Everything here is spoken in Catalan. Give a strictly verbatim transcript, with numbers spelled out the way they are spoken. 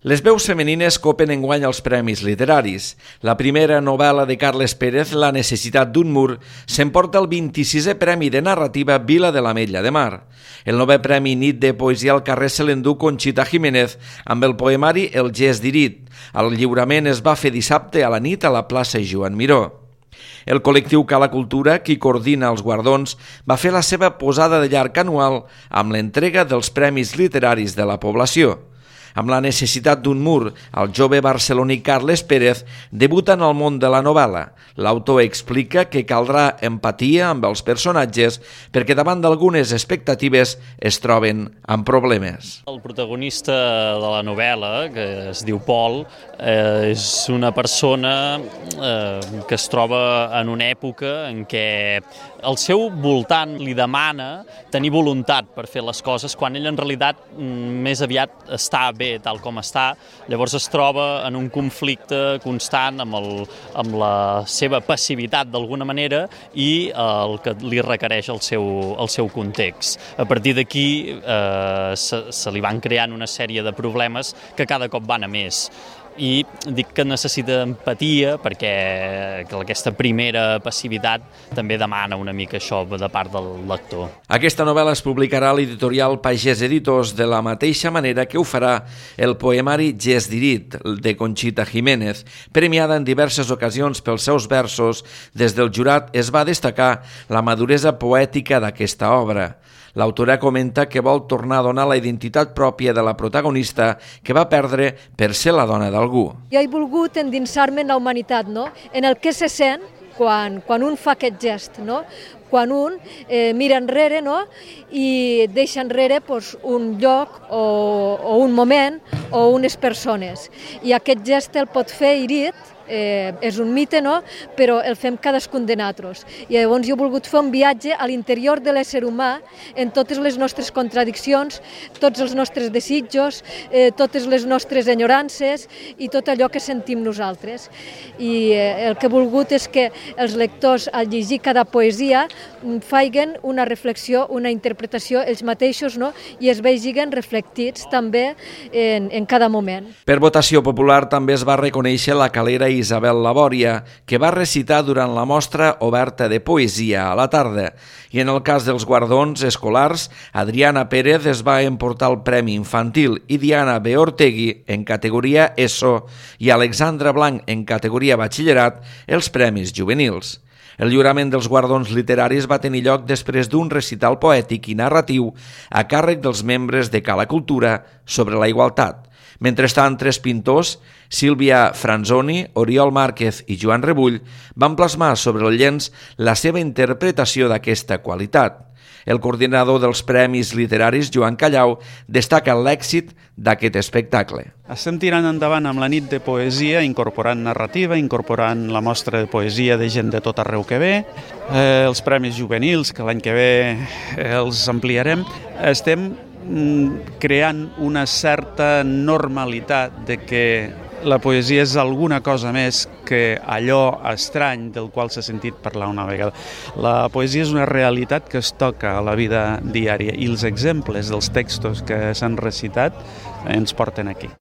Les veus femenines copen enguany els premis literaris. La primera novel·la de Carles Pérez, La necessitat d'un mur, s'emporta el vint-i-sisè Premi de Narrativa Vila de l'Ametlla de Mar. El novè Premi Nit de Poesia al carrer se l'endú Conxita Jiménez amb el poemari El gest d'Irit. El lliurament es va fer dissabte a la nit a la plaça Joan Miró. El col·lectiu Cala Cultura, qui coordina els guardons, va fer la seva posada de llarg anual amb l'entrega dels premis literaris de la població. Amb La necessitat d'un mur, el jove barceloní Carles Pérez debuta en el món de la novel·la. L'autor explica que caldrà empatia amb els personatges perquè davant d'algunes expectatives es troben amb problemes. El protagonista de la novel·la, que es diu Pol, eh, és una persona eh, que es troba en una època en què el seu voltant li demana tenir voluntat per fer les coses quan ell en realitat més aviat està bé tal com està, llavors es troba en un conflicte constant amb, el, amb la seva passivitat d'alguna manera i el que li requereix el seu, el seu context. A partir d'aquí eh, se, se li van creant una sèrie de problemes que cada cop van a més. I dic que necessita empatia perquè aquesta primera passivitat també demana una mica això de part del lector. Aquesta novel·la es publicarà a l'editorial Pagès Editors de la mateixa manera que ho farà el poemari Gest d'Irit de Conxita Jiménez, premiada en diverses ocasions pels seus versos. Des del jurat es va destacar la maduresa poètica d'aquesta obra. L'autora comenta que vol tornar a donar la identitat pròpia de la protagonista que va perdre per ser la dona d'algú. Jo he volgut endinsar-me en la humanitat, no? En el que se sent quan, quan un fa aquest gest, no? Quan un eh, mira enrere, no? I deixa enrere pues, un lloc o, o un moment o unes persones. I aquest gest el pot fer Irit, Eh, és un mite, no? Però el fem cadascun de nosaltres. I llavors jo he volgut fer un viatge a l'interior de l'ésser humà en totes les nostres contradiccions, tots els nostres desitjos, eh, totes les nostres enyorances i tot allò que sentim nosaltres. I eh, el que he volgut és que els lectors, al llegir cada poesia, facin una reflexió, una interpretació ells mateixos, no? I es vegin reflectits també en, en cada moment. Per votació popular també es va reconèixer la calera Isabel Labòria, que va recitar durant la mostra oberta de poesia a la tarda. I en el cas dels guardons escolars, Adriana Pérez es va emportar el Premi Infantil i Diana B. Ortegui, en categoria ESO, i Alexandra Blanc, en categoria Batxillerat, els Premis Juvenils. El lliurament dels guardons literaris va tenir lloc després d'un recital poètic i narratiu a càrrec dels membres de Cala Cultura sobre la igualtat. Mentrestant, tres pintors, Sílvia Franzoni, Oriol Márquez i Joan Rebull, van plasmar sobre el llenç la seva interpretació d'aquesta qualitat. El coordinador dels Premis Literaris, Joan Callau, destaca l'èxit d'aquest espectacle. Estem tirant endavant amb la nit de poesia, incorporant narrativa, incorporant la mostra de poesia de gent de tot arreu que ve, eh, els Premis Juvenils, que l'any que ve eh, els ampliarem. Estem creant una certa normalitat de que la poesia és alguna cosa més que allò estrany del qual s'ha sentit parlar una vegada. La poesia és una realitat que es toca a la vida diària i els exemples dels textos que s'han recitat ens porten aquí.